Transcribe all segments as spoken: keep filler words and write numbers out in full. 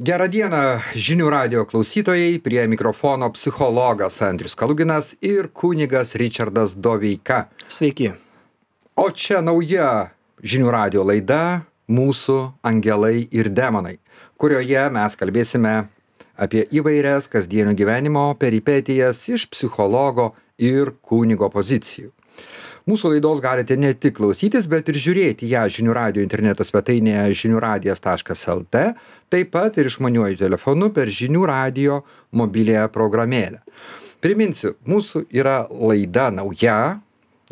Gerą dieną žinių radijo klausytojai, prie mikrofono psichologas Andrius Kaluginas ir kunigas Ričardas Doveika. Sveiki. O čia nauja žinių radijo laida Mūsų angelai ir demonai, kurioje mes kalbėsime apie įvairias kasdienio gyvenimo peripetijas iš psichologo ir kunigo pozicijų. Mūsų laidos galite ne tik klausytis, bet ir žiūrėti ją žinių radijo interneto svetainėje žiniųradijas taškas lt, taip pat ir išmaniuoju telefonu per žinių radijo mobiliąją programėlę. Priminsiu, mūsų yra laida nauja,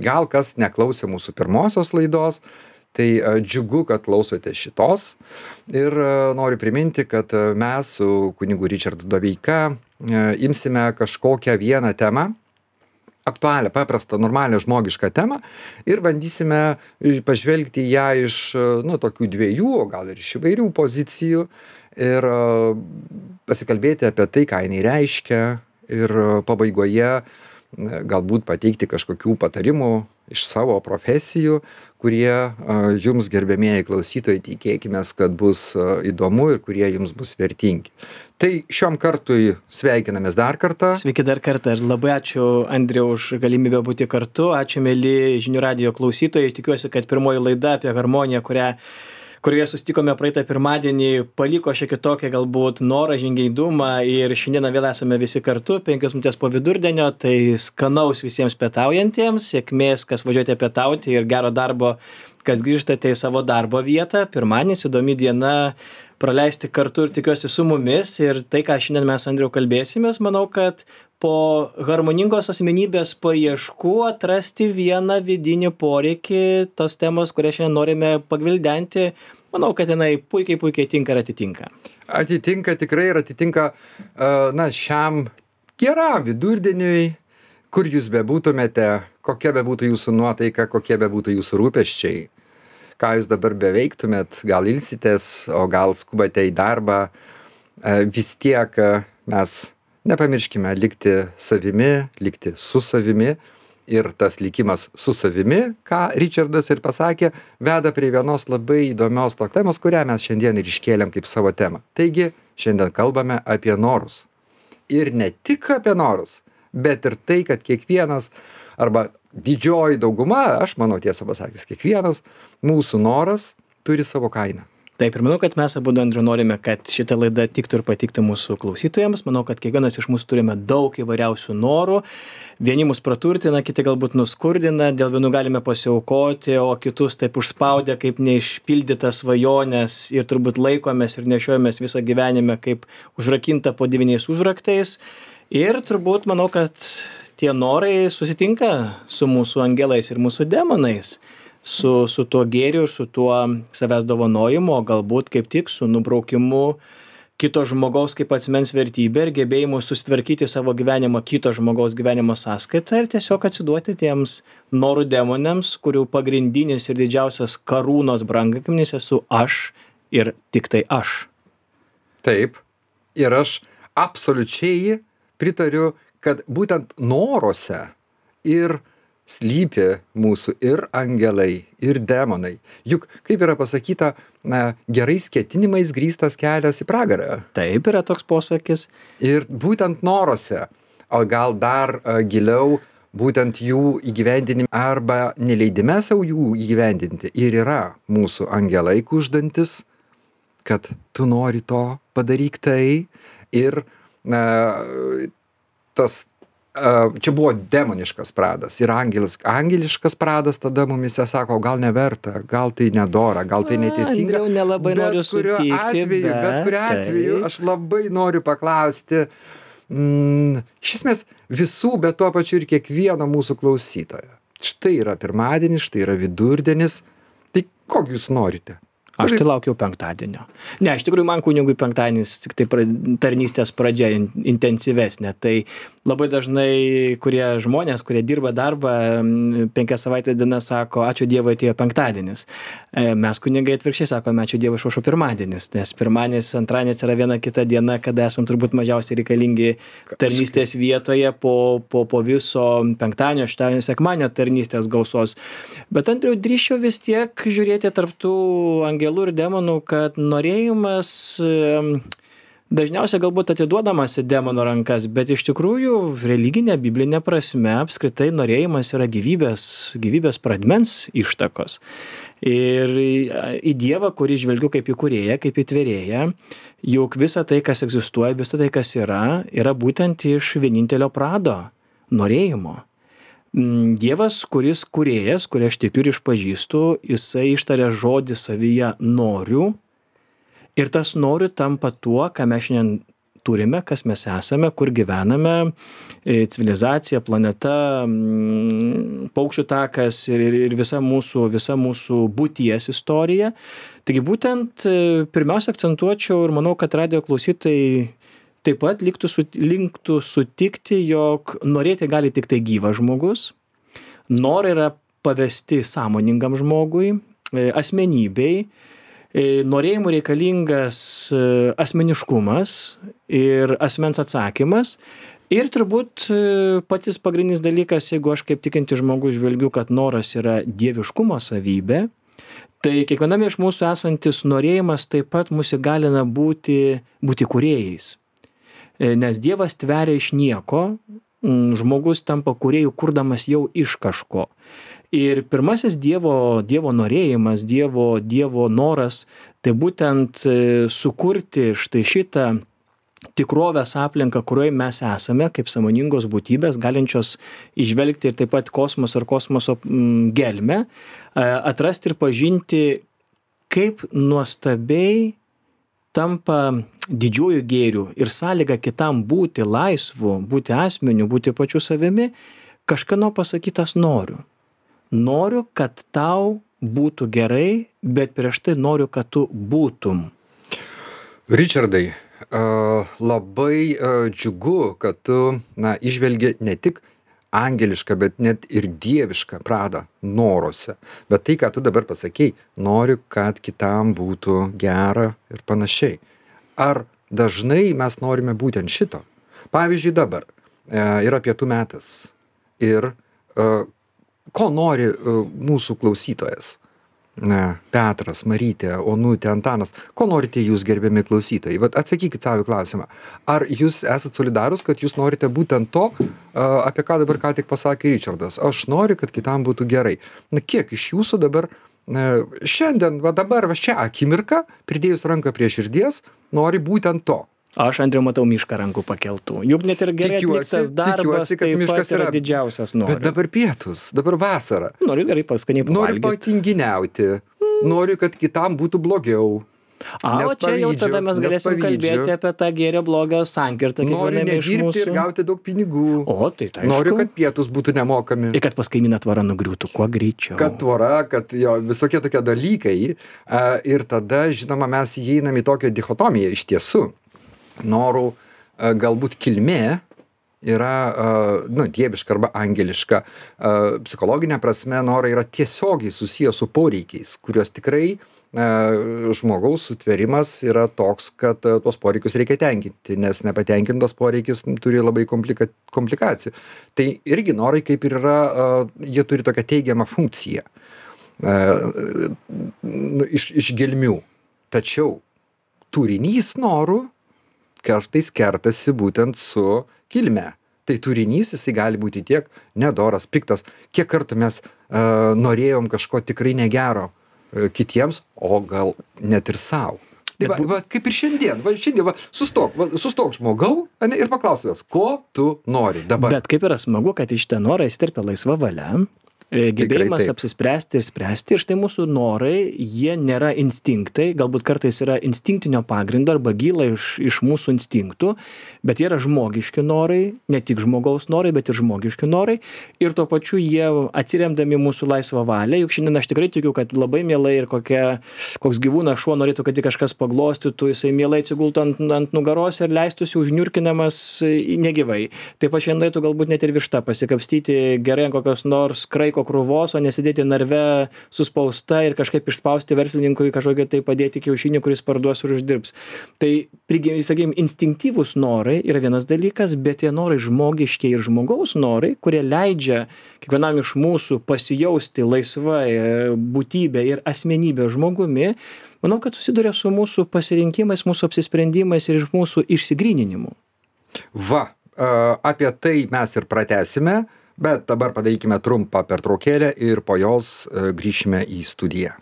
gal kas neklausė mūsų pirmosios laidos, tai džiugu, kad klausote šitos. Ir noriu priminti, kad mes su kunigu Ričardu Doveika imsime kažkokią vieną temą, aktualią, paprastą, normalią žmogišką temą ir bandysime pažvelgti ją iš, nu, tokių dviejų, o gal ir iš įvairių pozicijų ir pasikalbėti apie tai, ką jinai reiškia ir pabaigoje galbūt pateikti kažkokių patarimų iš savo profesijų, kurie jums, gerbiamieji klausytojai, tikėkimės, kad bus įdomu ir kurie jums bus vertingi. Tai šiom kartui sveikinamės dar kartą. Sveiki dar kartą ir labai ačiū, Andriau, už galimybę būti kartu. Ačiū, mėly žinių radijo klausytojai. Tikiuosi, kad pirmoji laida apie harmoniją, kurią kurioje susitikome praeitą pirmadienį, paliko šiek tiek tokią galbūt norą, žingeidumą ir šiandieną vėl esame visi kartu, penkios minutės po vidurdienio, tai skanaus visiems pietaujantiems, sėkmės, kas važiuojate pietauti ir gero darbo, kas grįžtate į savo darbo vietą. Pirmadienis įdomi diena praleisti kartu ir tikiuosi su mumis ir tai, ką šiandien mes, Andriau, kalbėsimės, manau, kad po harmoningos asmenybės paieškų atrasti vieną vidinį poreikį, tos temos, kurią šiandien norime pagvildenti, manau, kad jinai puikiai, puikiai tinka ir atitinka. Atitinka tikrai ir atitinka, na, šiam geram vidurdieniui, kur jūs bebūtumėte, kokia bebūtų jūsų nuotaika, kokie bebūtų jūsų rūpesčiai, ką jūs dabar beveiktumėt, gal ilsitės, o gal skubate į darbą, vis tiek mes nepamirškime likti savimi, likti su savimi ir tas likimas su savimi, ką Ričardas ir pasakė, veda prie vienos labai įdomios tos temos, kurią mes šiandien ir iškėlėm kaip savo temą. Taigi, šiandien kalbame apie norus. Ir ne tik apie norus, bet ir tai, kad kiekvienas, arba didžioji dauguma, aš manau tiesą pasakęs, kiekvienas mūsų noras turi savo kainą. Taip, ir manau, kad mes abu, Andriu, norime, kad šitą laidą tiktų ir patiktų mūsų klausytojams. Manau, kad kiekvienas iš mūsų turime daug įvairiausių norų. Vieni mus praturtina, kiti galbūt nuskurdina, dėl vienų galime pasiaukoti, o kitus taip užspaudę kaip neišpildytas svajonės ir turbūt laikomės ir nešiojamės visą gyvenimą kaip užrakinta po devyniais užraktais. Ir turbūt manau, kad tie norai susitinka su mūsų angelais ir mūsų demonais. Su, su tuo gėriu ir su tuo savęs dovanojimu, o galbūt kaip tik su nubraukimu kito žmogaus kaip asmens vertybė ir gebėjimu susitvarkyti savo gyvenimą kito žmogaus gyvenimo sąskaitą ir tiesiog atsiduoti tiems norų demonėms, kurių pagrindinis ir didžiausias karūnos brangakmenis esu aš ir tik tai aš. Taip, ir aš absoliučiai pritariu, kad būtent noruose ir slypi mūsų ir angelai, ir demonai. Juk, kaip yra pasakyta, na, gerais ketinimais grįstas kelias į pragarą. Taip yra toks posakis. Ir būtent noruose, o gal dar a, giliau, būtent jų įgyvendinime arba neleidime savo jų įgyvendinti ir yra mūsų angelai kuždantis, kad tu nori to, padaryk tai ir na, tas čia buvo demoniškas pradas ir angelis, angeliškas pradas tada mumise sako, gal neverta, gal tai nedora, gal tai neteisinga. Andriau, nelabai noriu sutikti, atveju, bet, bet kuriuo atveju aš labai noriu paklausti, mm, iš esmės visų, bet tuo pačiu ir kiekvieno mūsų klausytojo. Štai yra pirmadienis, štai yra vidurdienis, tai kokį jūs norite? Aš tai laukiau penktadienio. Ne, iš tikrųjų, man kunigui penktadienis tik tai pra, tarnystės pradžia in, intensyvesnė. Tai labai dažnai kurie žmonės, kurie dirba darbą, penkias savaitės dienas sako, ačiū Dievui atėjo penktadienis. Mes kunigai atvirkščiai sakome, ačiū Dievui išaušo pirmadienis, nes pirmadienis, antradienis yra viena kita diena, kada esam turbūt mažiausiai reikalingi tarnystės vietoje po, po, po viso penktadienio, šeštadienio, sekmadienio tarnystės gausos. Bet Andriau, drįsčiau vis tiek žiūrėti tarp tų angelų ir demonų, kad norėjimas dažniausiai galbūt atiduodamas į demono rankas, bet iš tikrųjų religinė, biblinė prasme apskritai norėjimas yra gyvybės, gyvybės pradmens ištakos. Ir į Dievą, kurį žvelgiu kaip į kūrėją, kaip į tvėrėją, juk visa tai, kas egzistuoja, visa tai, kas yra, yra būtent iš vienintelio prado norėjimo. Dievas, kuris kūrėjas, kurį aš tikiu ir išpažįstu, jisai ištaria žodį savyje noriu. Ir tas noriu tampa tuo, ką mes šiandien turime, kas mes esame, kur gyvename, civilizacija, planeta, paukščių takas ir, ir visa mūsų, visa mūsų būties istorija. Taigi būtent pirmiausia akcentuočiau ir manau, kad radijo klausytojai taip pat liktų, linktų sutikti, jog norėti gali tik tai gyvas žmogus. Norai yra pavesti sąmoningam žmogui, asmenybei. Norėjimų reikalingas asmeniškumas ir asmens atsakymas. Ir turbūt patys pagrindinis dalykas, jeigu aš kaip tikintis žmogus žvelgiu, kad noras yra dieviškumo savybė, tai kiekviename iš mūsų esantis norėjimas taip pat mus įgalina būti, būti kūrėjais. Nes Dievas tveria iš nieko, žmogus tampa kūrėjų kurdamas jau iš kažko. Ir pirmasis Dievo, dievo norėjimas, dievo, dievo noras, tai būtent sukurti štai šitą tikrovės aplinką, kurioje mes esame, kaip sąmoningos būtybės, galinčios įžvelgti ir taip pat kosmoso ir kosmoso gelmę, atrasti ir pažinti, kaip nuostabiai tampa didžiuoju gėriu ir sąlyga kitam būti laisvu, būti asmeniu, būti pačiu savimi, kažkieno pasakytas noriu. Noriu, kad tau būtų gerai, bet prieš tai noriu, kad tu būtum. Richardai, labai džiugu, kad tu na, išvelgi ne tik angelišką, bet net ir dievišką pradą noruose. Bet tai, ką tu dabar pasakei, noriu, kad kitam būtų gera ir panašiai. Ar dažnai mes norime būtent šito? Pavyzdžiui, dabar yra pietų metas ir ko nori mūsų klausytojas? Na, Petras, Marytė, Onutė, Antanas, ko norite jūs, gerbiami klausytojai? Vat atsakykit savo klausimą. Ar jūs esat solidarūs, kad jūs norite būtent to, apie ką dabar ką tik pasakė Richardas? Aš noriu, kad kitam būtų gerai. Na, kiek iš jūsų dabar šiandien, va dabar, va šią akimirką, pridėjus ranką prie širdies, nori būtent to? Aš, Andriau, matau mišką rankų pakeltų. Juk net ir gerai atliktas darbas, tikiuosi, taip pat yra didžiausias noras. Bet dabar pietus, dabar vasara. Noriu gerai paskaniai pavalgyti. Noriu patinginiauti. Noriu, kad kitam būtų blogiau. A, o čia jau tada mes galėsim kalbėti apie tą gėrio blogio sankirtą. Noriu nedirbti ir gauti daug pinigų. O, tai tai aišku. Noriu, kad pietus būtų nemokami. Ir kad pas kaimyną tvora nugriūtų kuo greičiau. Kad tvora, kad jo visokie tokie dalykai. Ir tada, žinoma, mes įeinam į tokią dichotomiją iš tiesų. Norų galbūt kilmė yra, nu, dieviška arba angeliška. Psichologinė prasme norai yra tiesiogiai susiję su poreikiais, kurios tikrai žmogaus sutvėrimas yra toks, kad tuos poreikius reikia tenkinti, nes nepatenkintas poreikis turi labai komplika, komplikacijų. Tai irgi norai kaip ir yra, jie turi tokią teigiamą funkciją iš, iš gelmių. Tačiau turinys norų kartais kertasi būtent su kilme. Tai turinys jisai gali būti tiek nedoras, piktas, kiek kartų mes uh, norėjom kažko tikrai negero uh, kitiems, o gal net ir savo. Tai va, va, kaip ir šiandien, va, šiandien va, sustok, va, sustok žmogau ane, ir paklausęs, ko tu nori dabar. Bet kaip yra smagu, kad iš tą norą įsiterpia laisva valia. Gebėjimas apsispręsti ir spręsti. Ir štai mūsų norai, jie nėra instinktai, galbūt kartais yra instinktinio pagrindo arba gyla iš, iš mūsų instinktų, bet jie yra žmogiški norai, ne tik žmogaus norai, bet ir žmogiški norai. Ir tuo pačiu jie atsiremdami mūsų laisvą valią, juk šiandien aš tikrai tikiu, kad labai mielai ir kokia, koks gyvūnas šuo norėtų, kad jį kažkas paglostytų, jisai mielai atsigultų ant, ant nugaros ir leistųsi užniurkinamas negyvai. Taip pat šiandien norėtų galbūt net ir višta pasikapstyti gerai ant kokios nors kraiko laiko krūvos, o nesėdėti narve suspausta ir kažkaip išspausti verslininkui kažkokį tai padėti kiaušinį, kuris parduos ir uždirbs. Tai, sakykime, instinktyvūs norai yra vienas dalykas, bet tie norai žmogiški ir žmogaus norai, kurie leidžia kiekvienam iš mūsų pasijausti laisvai būtybė ir asmenybė žmogumi, manau, kad susiduria su mūsų pasirinkimais, mūsų apsisprendimais ir iš mūsų išsigryninimu. Va, apie tai mes ir pratęsime, bet dabar padarykime trumpą pertraukėlę ir po jos grįšime į studiją.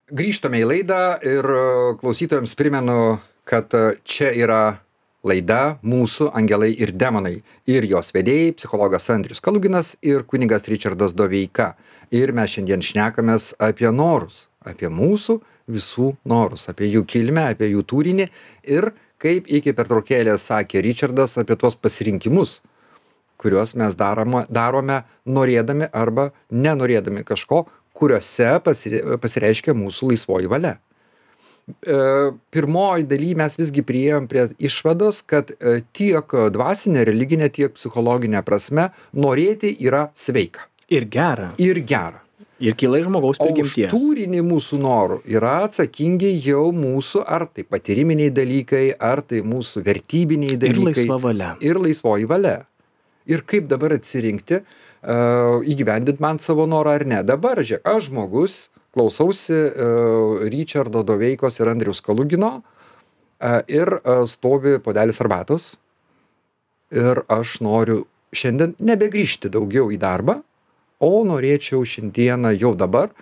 Grįžtame į laidą ir klausytojams primenu, kad čia yra laida Mūsų angelai ir demonai ir jos vedėjai psichologas Andrius Kaluginas ir kunigas Ričardas Doveika. Ir mes šiandien šnekamės apie norus, apie mūsų visų norus, apie jų kilmę, apie jų turinį ir, kaip iki pertraukėlės sakė Ričardas, apie tuos pasirinkimus, kuriuos mes darome, darome norėdami arba nenorėdami kažko, kuriuose pasireiškia mūsų laisvoji valia. Pirmoji daly mes visgi priėjom prie išvados, kad tiek dvasinė, religinė, tiek psichologinė prasme norėti yra sveika. Ir gera. Ir gera. Ir kyla iš žmogaus prigimties. O už turinį mūsų norų yra atsakingi jau mūsų ar tai patyriminiai dalykai, ar tai mūsų vertybiniai dalykai. Ir laisva valia. Ir laisvoji valia. Ir kaip dabar atsirinkti, uh, įgyvendinti man savo norą ar ne. Dabar, žiūrėk, aš žmogus, klausausi uh, Ričardo Doveikos ir Andriaus Kalugino uh, ir uh, stovi puodelis arbatos. Ir aš noriu šiandien nebegrįžti daugiau į darbą, o norėčiau šiandieną jau dabar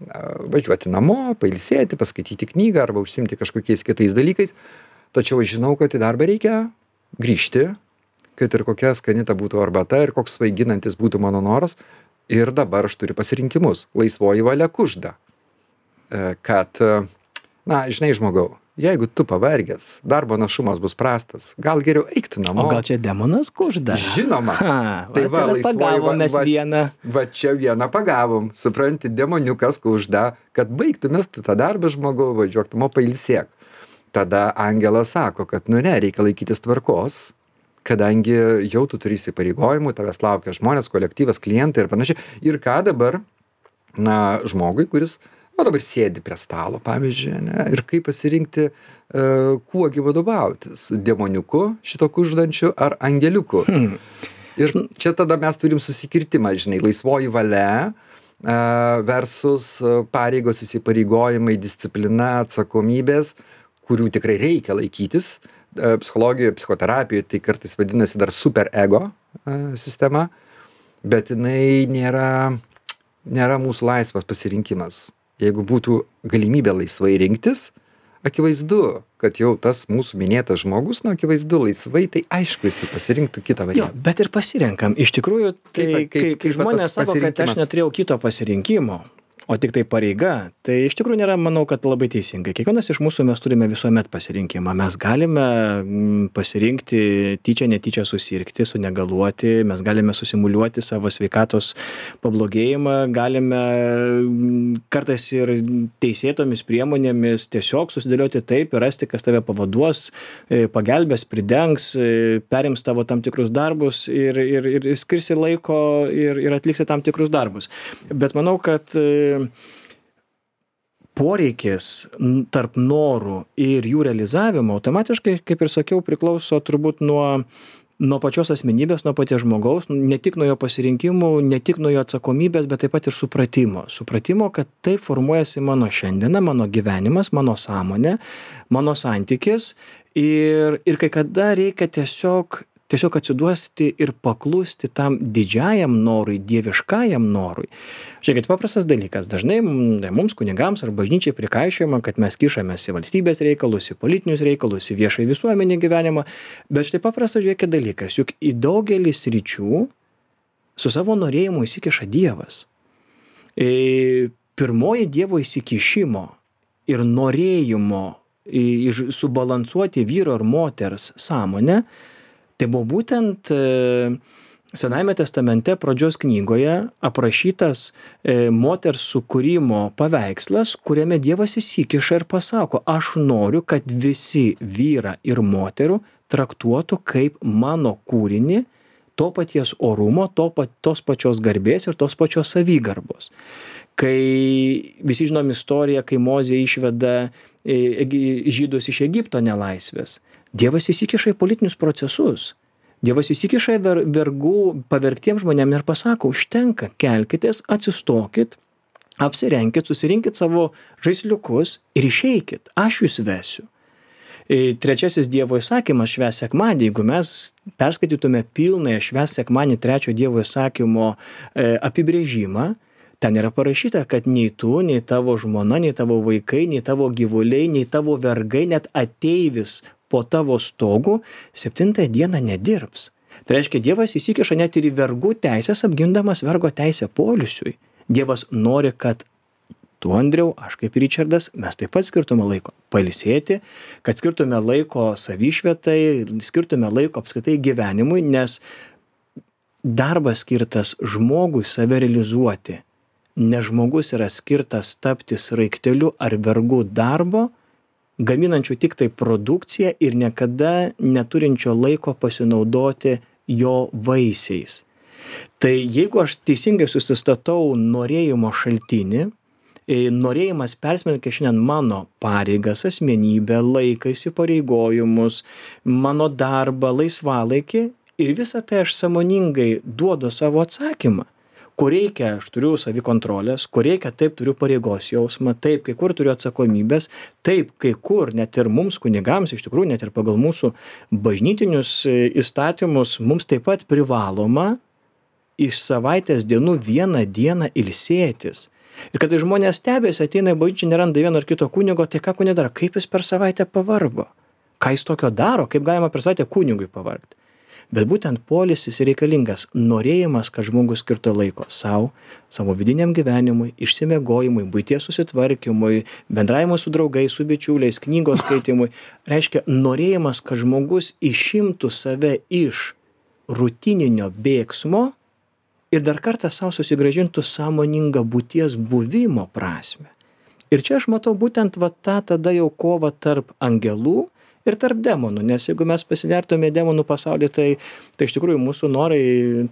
važiuoti namo, pailsėti, paskaityti knygą arba užsimti kažkokiais kitais dalykais. Tačiau aš žinau, kad į darbą reikia grįžti, kad ir kokia skanita būtų arbata ir koks svaiginantis būtų mano noras. Ir dabar aš turiu pasirinkimus. Laisvoji valia kužda. Kad, na, žinai, žmogau, jeigu tu pavargęs, darbo našumas bus prastas, gal geriau eikti namo. O gal čia demonas kužda? Žinoma. Ha, tai va, va pagavom mes va, vieną. Va čia vieną pagavom. Supranti, demoniukas kužda, kad baigtumės tą darbą žmogau, važiuok namo, pailsėk. Tada angelas sako, kad nu ne, reikia laikytis tvarkos, kadangi jau tu turi įsipareigojimų, tavęs laukia žmonės, kolektyvas, klientai ir panašiai. Ir ką dabar, na, žmogui, kuris o dabar sėdi prie stalo, pavyzdžiui, ne, ir kaip pasirinkti, uh, kuogi vadovautis, demoniuku šito kuždančiu ar angeliuku. Hmm. Ir čia tada mes turim susikirtimą, žinai, laisvoji valia uh, versus pareigos, įsipareigojimai, disciplina, atsakomybės, kurių tikrai reikia laikytis. Uh, psichologijoje, psichoterapijoje tai kartais vadinasi dar super ego uh, sistema, bet jinai nėra, nėra mūsų laisvas pasirinkimas. Jeigu būtų galimybė laisvai rinktis, akivaizdu, kad jau tas mūsų minėtas žmogus, nu, akivaizdu laisvai, tai aišku, jisai pasirinktų kitą variantą. Jo, bet ir pasirenkam. Iš tikrųjų, tai kaip, kaip, kai, kai žmonės sako, kad aš neturėjau kito pasirinkimo, o tik tai pareiga, tai iš tikrųjų nėra, manau, kad labai teisingai. Kiekvienas iš mūsų mes turime visuomet pasirinkimą. Mes galime pasirinkti tyčia, netyčia susirgti, sunegaluoti, mes galime susimuliuoti savo sveikatos pablogėjimą, galime kartais ir teisėtomis priemonėmis tiesiog susidėlioti taip ir rasti, kas tave pavaduos, pagelbės, pridengs, perims tavo tam tikrus darbus ir, ir, ir skirsi laiko ir, ir atliksi tam tikrus darbus. Bet manau, kad poreikis tarp norų ir jų realizavimo automatiškai, kaip ir sakiau, priklauso turbūt nuo, nuo pačios asmenybės, nuo paties žmogaus, ne tik nuo jo pasirinkimų, ne tik nuo jo atsakomybės, bet taip pat ir supratimo. Supratimo, kad taip formuojasi mano šiandiena, mano gyvenimas, mano sąmonė, mano santykis ir, ir kai kada reikia tiesiog tiesiog atsiduoti ir paklusti tam didžiajam norui, dieviškajam norui. Žiūrėkit, paprastas dalykas. Dažnai mums kunigams ar bažnyčiai prikaišiojama, kad mes kišamės į valstybės reikalus, į politinius reikalus, į viešą viešuomenį gyvenimą. Bet štai paprastas, žiūrėkit, dalykas. Juk į daugelį sričių su savo norėjimu įsikiša Dievas. E, pirmoji Dievo įsikišimo ir norėjimo e, subalansuoti vyro ir moters sąmonę, tai buvo būtent e, Senajame testamente pradžios knygoje aprašytas e, moters sukūrimo paveikslas, kuriame Dievas įsikiša ir pasako, aš noriu, kad visi vyra ir moterų traktuotų kaip mano kūrinį, to paties orumo, to, tos pačios garbės ir tos pačios savigarbos. Kai visi žinom istoriją, kai Mozė išveda žydus iš Egipto nelaisvės, Dievas įsikiša į politinius procesus. Dievas įsikiša į ver, vergų pavergtiems žmonėms ir pasako, užtenka, kelkitės, atsistokit, apsirenkit, susirinkit savo žaisliukus ir išeikit, aš jūs vesiu. Trečiasis Dievo įsakymas švęs sekmadienį, jeigu mes perskaitytume pilnąją švęs sekmadienį trečio Dievo įsakymo e, apibrėžimą, ten yra parašyta, kad nei tu, nei tavo žmona, nei tavo vaikai, nei tavo gyvuliai, nei tavo vergai, net ateivis po tavo stogu septintąją dieną nedirbs. Tai reiškia, Dievas įsikiša net ir į vergų teisės, apgindamas vergo teisę poilsiui. Dievas nori, kad tu, Andriau, aš kaip Ričardas, mes taip pat skirtume laiko pailsėti, kad skirtume laiko savišvietai, skirtume laiko apskritai gyvenimui, nes darbas skirtas žmogui save realizuoti. Ne žmogus yra skirtas tapti sraigteliu ar vergu darbo, gaminančių tik tai produkciją ir niekada neturinčio laiko pasinaudoti jo vaisiais. Tai jeigu aš teisingai susistatau norėjimo šaltinį, norėjimas persmelkia šiandien mano pareigas, asmenybę, laiką, įsipareigojimus, mano darbą, laisvalaikį ir visą tai aš sąmoningai duodu savo atsakymą. Kur reikia, aš turiu savikontrolės, kur reikia, taip turiu pareigos jausmą, taip, kai kur turiu atsakomybės, taip, kai kur, net ir mums kunigams, iš tikrųjų, net ir pagal mūsų bažnytinius įstatymus, mums taip pat privaloma iš savaitės dienų vieną dieną ilsėtis. Ir kad žmonės stebėsi, ateina į bažnyčią, neranda vieno ar kito kunigo, tai ką kunigui daro, kaip jis per savaitę pavargo, ką jis tokio daro, kaip galima per savaitę kunigui pavargti. Bet būtent poilsis reikalingas, norėjimas, kad žmogus skirtų laiko savo, savo vidiniam gyvenimui, išsimiegojimui, buities susitvarkymui, bendravimui su draugais, su bičiuliais, knygos skaitimui. Reiškia, norėjimas, kad žmogus išimtų save iš rutininio bėgsmo ir dar kartą savo susigrąžintų sąmoningą būties buvimo prasmę. Ir čia aš matau būtent va tą tada jau kovą tarp angelų ir tarp demonų, nes jeigu mes pasivertume demonų pasaulį, tai, tai iš tikrųjų mūsų norai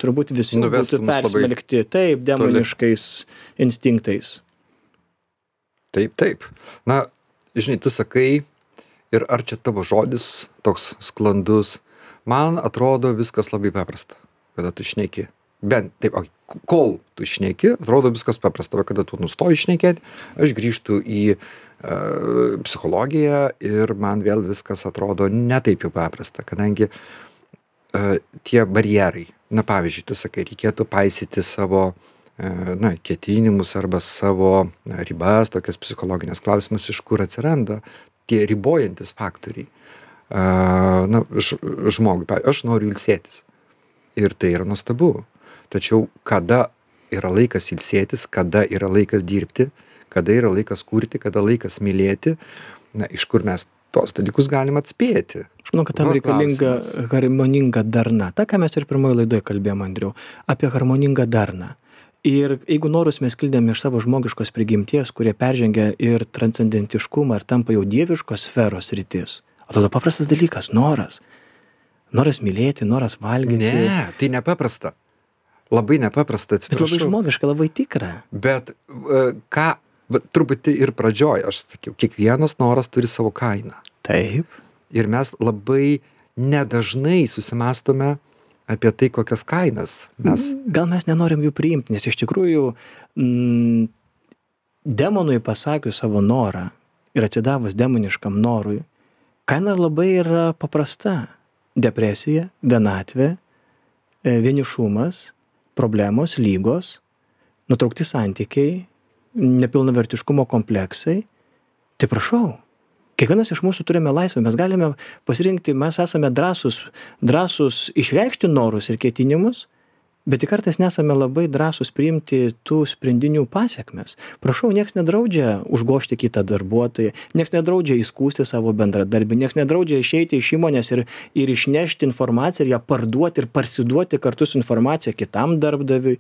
turbūt visi būtų persmelkti taip demoniškais toli. Instinktais. Taip, taip. Na, žinai, tu sakai, ir ar čia tavo žodis toks sklandus, man atrodo viskas labai paprasta, kada tu šneki. Bent taip, kol tu šneki, atrodo viskas paprasta, kada tu nustoji šnekėti, aš grįžtu į uh, psichologiją ir man vėl viskas atrodo ne taip jau paprasta, kadangi uh, tie barjerai, na pavyzdžiui, tu sakai, reikėtų paisyti savo uh, na, ketinimus arba savo na, ribas, tokias psichologinės klausimus, iš kur atsiranda tie ribojantis faktoriai. Uh, na, ž, žmogui, aš noriu ilsėtis ir tai yra nuostabu. Tačiau kada yra laikas ilsėtis, kada yra laikas dirbti, kada yra laikas kurti, kada laikas mylėti, na, iš kur mes tos dalykus galim atspėti. Aš manau, kad tam reikalinga harmoninga darna. Ta, ką mes ir pirmoje laidoje kalbėjome, Andriau, apie harmoningą darną. Ir jeigu norus mes kildėme iš savo žmogiškos prigimties, kurie peržengia ir transcendentiškumą ir tampa jau dieviškos sferos rytis, atrodo paprastas dalykas, noras. Noras mylėti, noras valgyti. Ne, tai nepaprasta. Labai nepaprasta, atsiprašau. Bet labai žmogiška, labai tikra. Bet uh, ką, bet truputį ir pradžioj, aš sakiau, kiekvienas noras turi savo kainą. Taip. Ir mes labai nedažnai susimastome apie tai, kokias kainas mes. Gal mes nenorim jų priimti, nes iš tikrųjų mm, demonui pasakius savo norą ir atsidavus demoniškam norui, kaina labai yra paprasta. Depresija, vienatvė, vienišumas, problemos, lygos, nutraukti santykiai, nepilnavertiškumo kompleksai. Tai prašau, kiekvienas iš mūsų turime laisvę, mes galime pasirinkti, mes esame drąsus, drąsus išreikšti norus ir ketinimus, bet tik kartais nesame labai drąsus priimti tų sprendinių pasiekmes. Prašau, nieks nedraudžia užgožti kitą darbuotoją, nieks nedraudžia įskųsti savo bendradarbį, nieks nedraudžia išeiti iš įmonės ir, ir išnešti informaciją ir ją parduoti ir parsiduoti kartu su informacija kitam darbdaviui.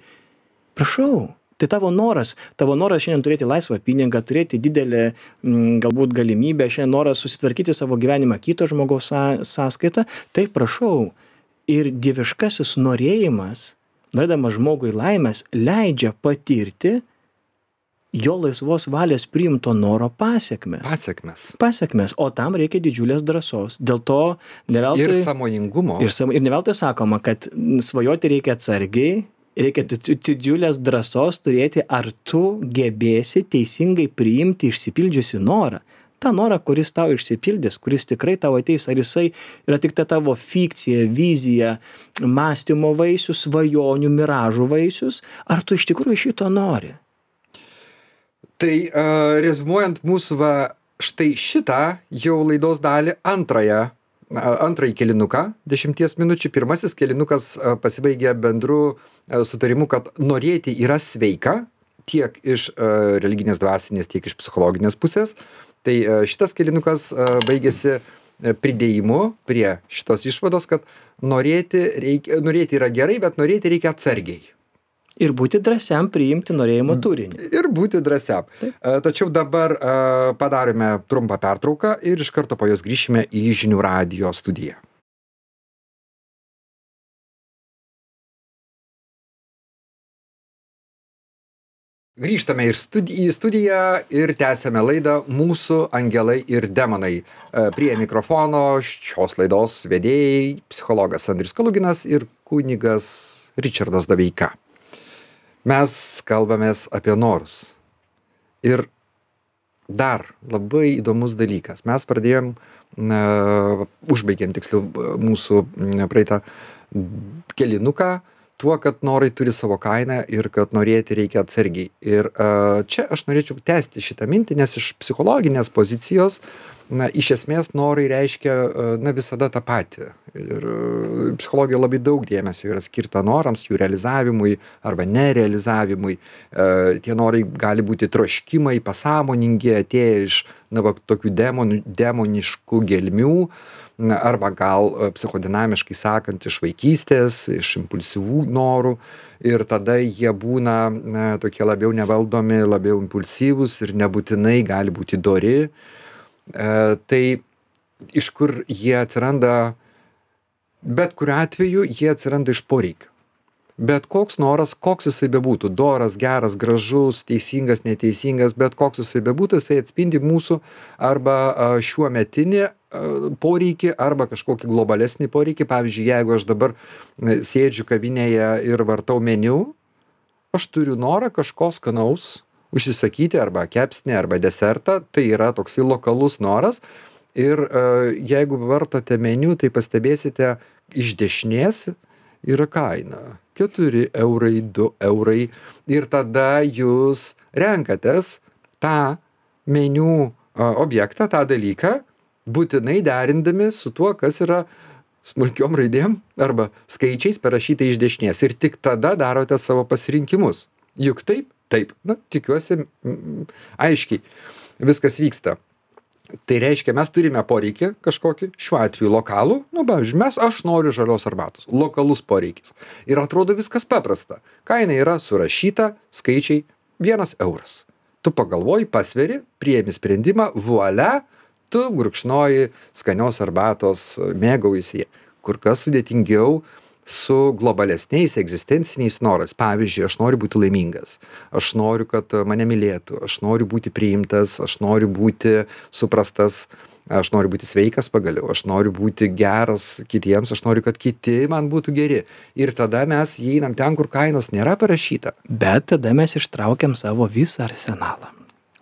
Prašau, Tai tavo noras, tavo noras šiandien turėti laisvą pinigą, turėti didelę m, galbūt galimybę, šiandien noras susitvarkyti savo gyvenimą kito žmogaus są- sąskaitą, tai prašau. Ir dieviškasis norėjimas, norėdamas žmogui laimės, leidžia patirti jo laisvos valios priimto noro pasiekmes. Pasiekmes. Pasiekmes, o tam reikia didžiulės drąsos. Dėl to ne veltui... Ir sąmoningumo. Ir, sam- ir ne veltui sakoma, kad mm, svajoti reikia atsargiai, reikia di- di- didžiulės drąsos turėti, ar tu gebėsi teisingai priimti išsipildžiusi norą. Ta norą, kuris tau išsipildys, kuris tikrai tau ateis, ar jisai yra tik ta tavo fikcija, vizija, mąstymo vaisius, svajonių, miražų vaisius, ar tu iš tikrųjų šito nori. Tai uh, rezumuojant mūsų va, štai šitą jau laidos dalį antrąją, uh, antrąjį kelinuką, dešimties minučių. Pirmasis kelinukas uh, pasibaigė bendru uh, sutarimu, kad norėti yra sveika tiek iš uh, religinės dvasinės, tiek iš psichologinės pusės. Tai uh, šitas kelinukas uh, baigėsi uh, pridėjimu prie šitos išvados, kad norėti, reikia, norėti yra gerai, bet norėti reikia atsargiai. Ir būti drąsiam priimti norėjimo turinį. Ir būti drąsiam. Taip. A, Tačiau dabar a, padarėme trumpą pertrauką ir iš karto po jos grįšime į Žinių radijo studiją. Grįžtame ir studi į studiją ir tęsiame laidą Mūsų angelai ir demonai. A, Prie mikrofono šios laidos vedėjai psichologas Andrius Kaluginas ir kunigas Ričardas Doveika. Mes kalbamės apie norus. Ir dar labai įdomus dalykas. Mes pradėjom, na, užbaigėm tiksliau mūsų na, praeitą kelinuką tuo, kad norai turi savo kainą ir kad norėti reikia atsargiai. Ir a, čia aš norėčiau tęsti šitą mintį, nes iš psichologinės pozicijos, na, iš esmės norai reiškia, a, na, visada tą patį. Ir a, psichologijoje labai daug dėmesio yra skirta norams, jų realizavimui arba nerealizavimui. A, tie norai gali būti troškimai, pasąmoningi, atėję iš, na, va, tokių demonų, demoniškų gelmių, na, arba gal a, psichodinamiškai sakant, iš vaikystės, iš impulsyvų norų. Ir tada jie būna, na, tokie labiau nevaldomi, labiau impulsyvūs ir nebūtinai gali būti dori. E, tai iš kur jie atsiranda, bet kuriuo atveju jie atsiranda iš poreikio. Bet koks noras, koks jisai bebūtų, doras, geras, gražus, teisingas, neteisingas, bet koks jisai bebūtų, jisai atspindi mūsų arba a, šiuo metinį a, poreikį arba kažkokį globalesnį poreikį. Pavyzdžiui, jeigu aš dabar e, sėdžiu kavinėje ir vartau meniu, aš turiu norą kažko skanaus užsisakyti arba kepsnį arba desertą, tai yra toksai lokalus noras. Ir e, jeigu vartote meniu, tai pastebėsite iš dešinės yra kaina. keturi eurai, du eurai. Ir tada jūs renkatės tą meniu a, objektą, tą dalyką, būtinai derindami su tuo, kas yra smulkiom raidėm arba skaičiais parašyta iš dešinės. Ir tik tada darote savo pasirinkimus. Juk taip? Taip. Na, tikiuosi, mm, aiškiai viskas vyksta. Tai reiškia, mes turime poreikį kažkokį, šiuo atveju lokalų, nu, pavyzdžiui, mes, aš noriu žalios arbatos, lokalus poreikis. Ir atrodo viskas paprasta. Kaina yra surašyta, skaičiai, vienas euras. Tu pagalvoji, pasveri, priėmi sprendimą, vuolia, tu gurkšnoji skanios arbatos, mėgaujasi. Kur kas sudėtingiau su globalesniais egzistenciniais norais. Pavyzdžiui, aš noriu būti laimingas, aš noriu, kad mane mylėtų, aš noriu būti priimtas, aš noriu būti suprastas, aš noriu būti sveikas pagaliau, aš noriu būti geras kitiems, aš noriu, kad kiti man būtų geri. Ir tada mes įeinam ten, kur kainos nėra parašyta. Bet tada mes ištraukiam savo visą arsenalą.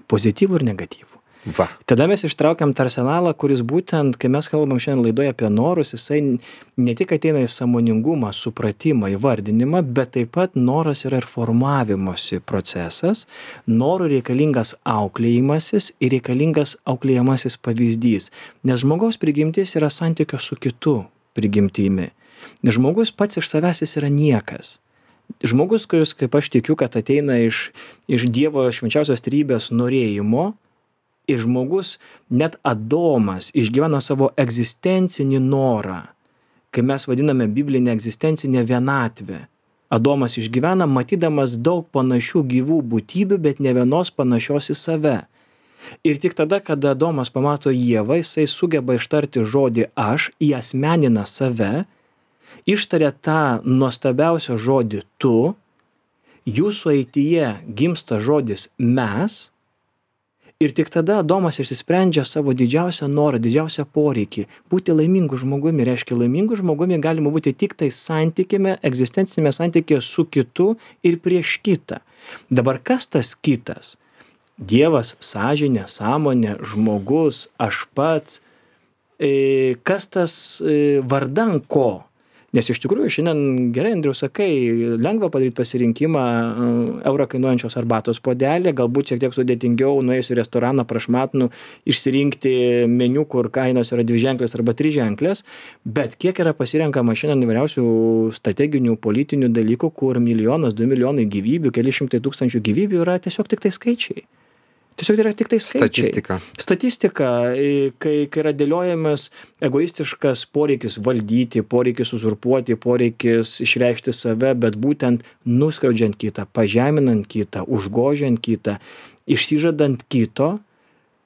Pozityvų ir negatyvų. Va. Tada mes ištraukiam tą arsenalą, kuris būtent, kai mes kalbam šiandien laidoje apie norus, jisai ne tik ateina į sąmoningumą, supratimą, įvardinimą, bet taip pat noras yra ir formavimosi procesas, norų reikalingas auklėjimasis ir reikalingas auklėjamasis pavyzdys. Nes žmogaus prigimtis yra santykio su kitu prigimtimi. Nes žmogus pats iš savęs jis yra niekas. Žmogus, kuris, kaip aš tikiu, kad ateina iš, iš Dievo švenčiausios trejybės norėjimo, ir žmogus, net Adomas, išgyvena savo egzistencinį norą, kai mes vadiname biblinę egzistencinę vienatvę. Adomas išgyvena, matydamas daug panašių gyvų būtybių, bet ne vienos panašios į save. Ir tik tada, kada Adomas pamato Ievą, jisai sugeba ištarti žodį aš, įasmenina save, ištaria tą nuostabiausią žodį tu, jūsų eityje gimsta žodis mes, ir tik tada Adomas išsisprendžia savo didžiausią norą, didžiausią poreikį. Būti laimingu žmogumi reiškia laimingu žmogumi galima būti tik tai santykime, egzistencinėme santykėje su kitu ir prieš kitą. Dabar kas tas kitas? Dievas, sąžinė, sąmonė, žmogus, aš pats. E, kas tas e, vardan ko? Nes iš tikrųjų šiandien gerai, Andriau, sakai, lengva padaryti pasirinkimą eurą kainuojančios arbatos puodelį, galbūt šiek tiek sudėtingiau nuėjus į restoraną prašmatnų išsirinkti meniu, kur kainos yra dviženklės arba triženklės, bet kiek yra pasirenkama šiandien įvairiausių strateginių, politinių dalykų, kur milijonas, du milijonai gyvybių, keli šimtai tūkstančių gyvybių yra tiesiog tik tai skaičiai. Tiesiog yra tik tai skaičiai. Statistika. Statistika, kai, kai yra dėliojamas egoistiškas poreikis valdyti, poreikis uzurpuoti, poreikis išreikšti save, bet būtent nuskriaudžiant kitą, pažeminant kitą, užgožiant kitą, išsižadant kito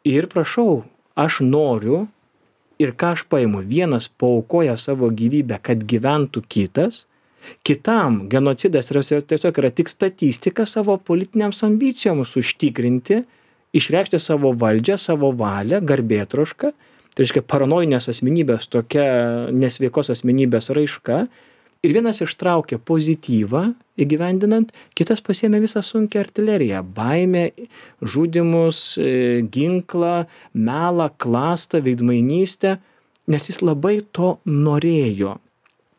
ir prašau, aš noriu ir ką aš paimu, vienas paaukoja savo gyvybę, kad gyventų kitas, kitam genocidas tiesiog yra tik statistika savo politiniams ambicijoms užtikrinti, išreikšti savo valdžią, savo valią, garbėtrošką, tai reiškia paranojinės asmenybės, tokia nesveikos asmenybės raiška, ir vienas ištraukia pozityvą įgyvendinant, kitas pasiėmė visą sunkią artileriją, baimę, žudymus, ginklą, melą, klastą, veidmainystę, nes jis labai to norėjo.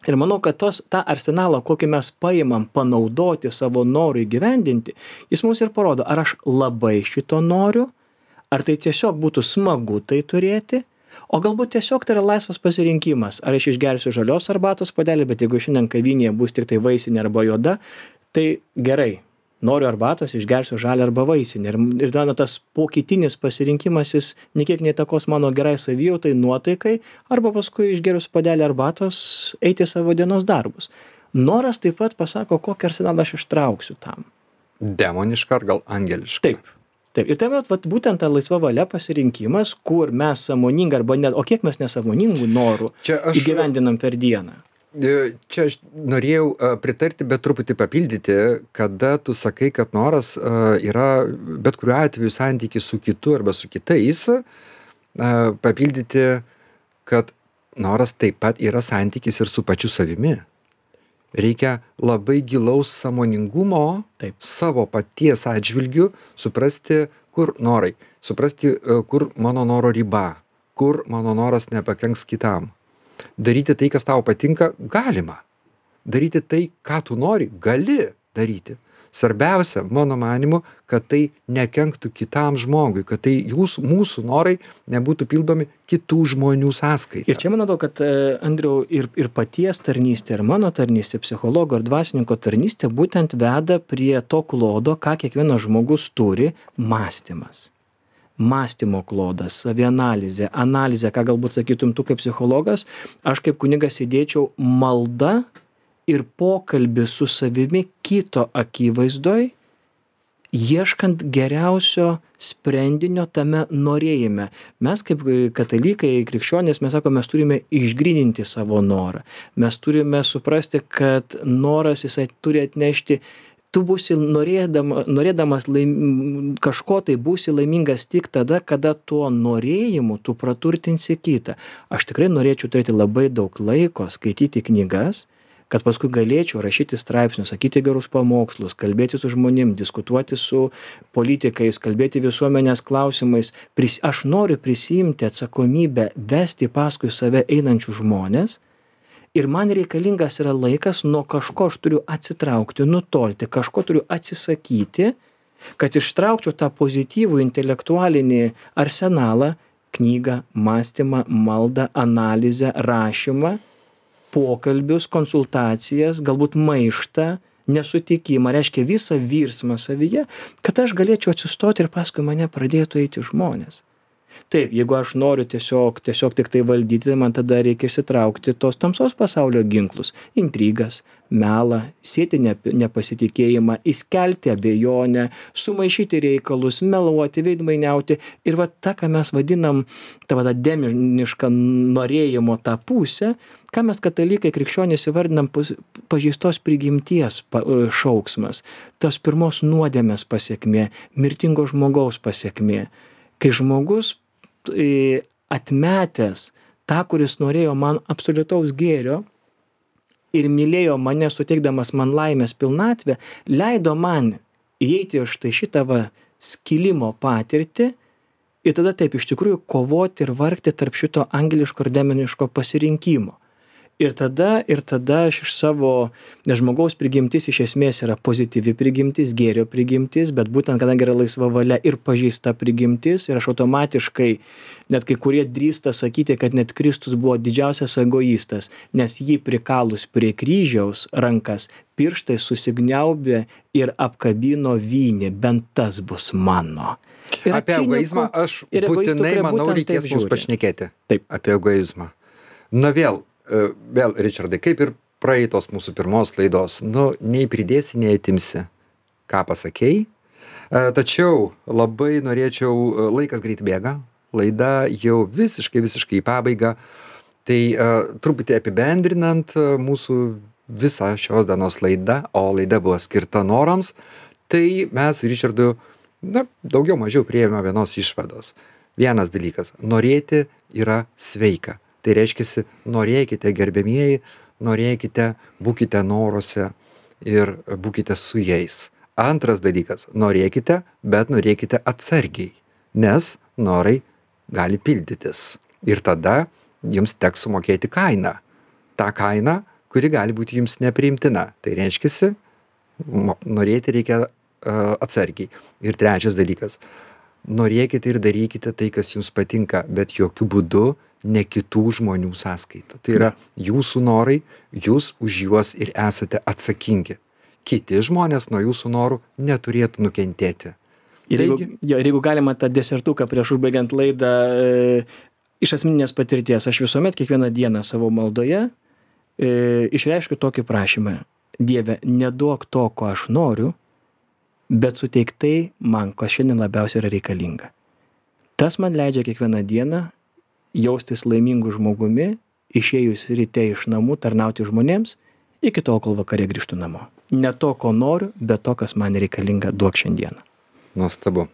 Ir manau, kad tos, tą arsenalą, kokį mes paimam panaudoti savo norui įgyvendinti, jis mums ir parodo, ar aš labai šito noriu, ar tai tiesiog būtų smagu tai turėti, o galbūt tiesiog tai yra laisvas pasirinkimas, ar aš išgersiu žalios arbatos puodelį, bet jeigu šiandien kavinėje bus tik tai vaisinė arba juoda, tai gerai, noriu arbatos, išgersiu žalią arba vaisinę. Ir, ir na, tas pokytinis pasirinkimas, jis niekiek neįtakos mano gerai savijautai, nuotaikai, arba paskui išgerius puodelį arbatos eiti savo dienos darbus. Noras taip pat pasako, kokį arsenalą aš ištrauksiu tam. Demoniška ar gal angeliška? Taip. Taip. Ir tai vat, būtent ta laisva valia pasirinkimas, kur mes sąmoningai arba net, o kiek mes nesąmoningų norų aš... įgyvendinam per dieną. Čia aš norėjau pritarti, bet truputį papildyti, kada tu sakai, kad noras yra bet kuriuo atveju santykis su kitu arba su kitais, papildyti, kad noras taip pat yra santykis ir su pačiu savimi. Reikia labai gilaus sąmoningumo taip. Savo paties atžvilgiu, suprasti, kur norai, suprasti, kur mano noro riba, kur mano noras nepakenks kitam. Daryti tai, kas tau patinka, galima. Daryti tai, ką tu nori, gali daryti. Svarbiausia, mano manimu, kad tai nekenktų kitam žmogui, kad tai jūsų, mūsų norai nebūtų pildomi kitų žmonių sąskaita. Ir čia manau, kad, Andriau, ir, ir paties tarnystė, ir mano tarnystė, psichologo ir dvasininko tarnystė būtent veda prie to klodo, ką kiekvienas žmogus turi – mąstymas. Mąstymo klodas, savianalizė, analizė, ką galbūt sakytum tu kaip psichologas, aš kaip kunigas įdėčiau malda ir pokalbį su savimi kito akivaizdoj, ieškant geriausio sprendinio tame norėjime. Mes kaip katalikai, krikščionės, mes sakome, mes turime išgryninti savo norą. Mes turime suprasti, kad noras jisai turi atnešti. Tu būsi norėdama, norėdamas laim, kažko tai būsi laimingas tik tada, kada tuo norėjimu tu praturtinsi kitą. Aš tikrai norėčiau turėti labai daug laiko skaityti knygas, kad paskui galėčiau rašyti straipsnius, sakyti gerus pamokslus, kalbėti su žmonėm, diskutuoti su politikais, kalbėti visuomenės klausimais. Pris, aš noriu prisiimti atsakomybę vesti paskui save einančių žmonės. Ir man reikalingas yra laikas, nuo kažko aš turiu atsitraukti, nutolti, kažko turiu atsisakyti, kad ištraukčiau tą pozityvų intelektualinį arsenalą, knygą, mąstymą, maldą, analizę, rašymą, pokalbius, konsultacijas, galbūt maištą, nesutikimą, reiškia visą virsmą savyje, kad aš galėčiau atsistoti ir paskui mane pradėtų eiti žmonės. Taip, jeigu aš noriu tiesiog, tiesiog tik tai valdyti, tai man tada reikia išsitraukti tos tamsos pasaulio ginklus - intrigas, melą, sėti nep- nepasitikėjimą, įskelti abejonę, sumaišyti reikalus, meluoti, veidmainiauti. Ir va ta, ką mes vadinam, ta va ta demoniška norėjimo tą pusę, ką mes katalikai krikščionys įvardinam pus- pažeistos prigimties pa- šauksmas, tos pirmos nuodėmės pasiekmė, mirtingo žmogaus pasiekmė. Kai žmogus e, atmetęs tą, kuris norėjo man absoliutaus gėrio ir mylėjo mane suteikdamas man laimės pilnatvę, leido man įeiti į štai šitą va skilimo patirtį ir tada taip iš tikrųjų kovoti ir vargti tarp šito angeliško ir demoniško pasirinkimo. Ir tada, ir tada aš iš savo, nes žmogaus prigimtis iš esmės yra pozityvi prigimtis, gėrio prigimtis, bet būtent kadangi yra laisva valia ir pažeista prigimtis, ir aš automatiškai, net kai kurie drįsta sakyti, kad net Kristus buvo didžiausias egoistas, nes jį prikalus prie kryžiaus rankas, pirštai susigniaubė ir apkabino vynį, bent tas bus mano. Yra Apie cinikų egoizmą aš ir egoistų, būtinai, kurie manau, būtent reikės taip mums žiūri. pašnekėti. Taip. Apie egoizmą. Na vėl, e, vėl, Richardai, kaip ir praeitos mūsų pirmos laidos, nu, nei pridėsi, nei atimsi, ką pasakėjai. E, Tačiau labai norėčiau, e, laikas greit bėga, laida jau visiškai, visiškai į pabaigą. Tai e, truputį apibendrinant e, mūsų visą šios dienos laidą, o laida buvo skirta norams, tai mes su Richardu, na, daugiau mažiau priėjome vienos išvados. Vienas dalykas - norėti yra sveika. Tai reiškia, norėkite, gerbėmieji, norėkite, būkite noruose ir būkite su jais. Antras dalykas - norėkite, bet norėkite atsargiai, nes norai gali pildytis. Ir tada jums teks sumokėti kainą. Ta kaina, kuri gali būti jums nepriimtina. Tai reiškia, norėti reikia uh, atsargiai. Ir trečias dalykas - norėkite ir darykite tai, kas jums patinka, bet jokių būdų ne kitų žmonių sąskaita. Tai yra jūsų norai, jūs už juos ir esate atsakingi. Kiti žmonės nuo jūsų norų neturėtų nukentėti. Ir jeigu, Taigi- jo, ir jeigu galima tą desertuką prieš užbaigiant laidą, e, iš asmeninės patirties, aš visuomet kiekvieną dieną savo maldoje e, išreiškiu tokį prašymą. Dieve, neduok to, ko aš noriu, bet suteik tai man, kas šiandien labiausiai yra reikalinga. Tas man leidžia kiekvieną dieną jaustis laimingu žmogumi, išėjus ryte iš namų, tarnauti žmonėms, iki tol, kol vakare grįžtu namo. Ne to, ko noriu, bet to, kas man reikalinga, duok šiandieną. Nuostabu.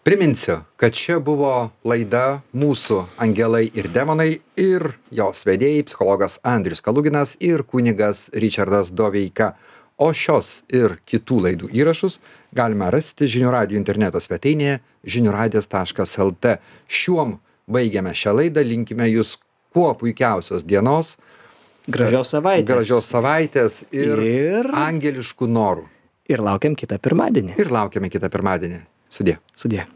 Priminsiu, kad čia buvo laida Mūsų angelai ir demonai ir jos vedėjai psichologas Andrius Kaluginas ir kunigas Richardas Doveika. O šios ir kitų laidų įrašus galime rasti Žinių radijo interneto svetainėje žiniųradijas taškas lt. Šiuom baigiame šią laidą, linkime jūs kuo puikiausios dienos, Gražios savaitės. gražios savaitės ir, Ir, angeliškų norų. ir laukiam kitą pirmadienį. Ir laukiame kitą pirmadienį. Sudie. Sudie.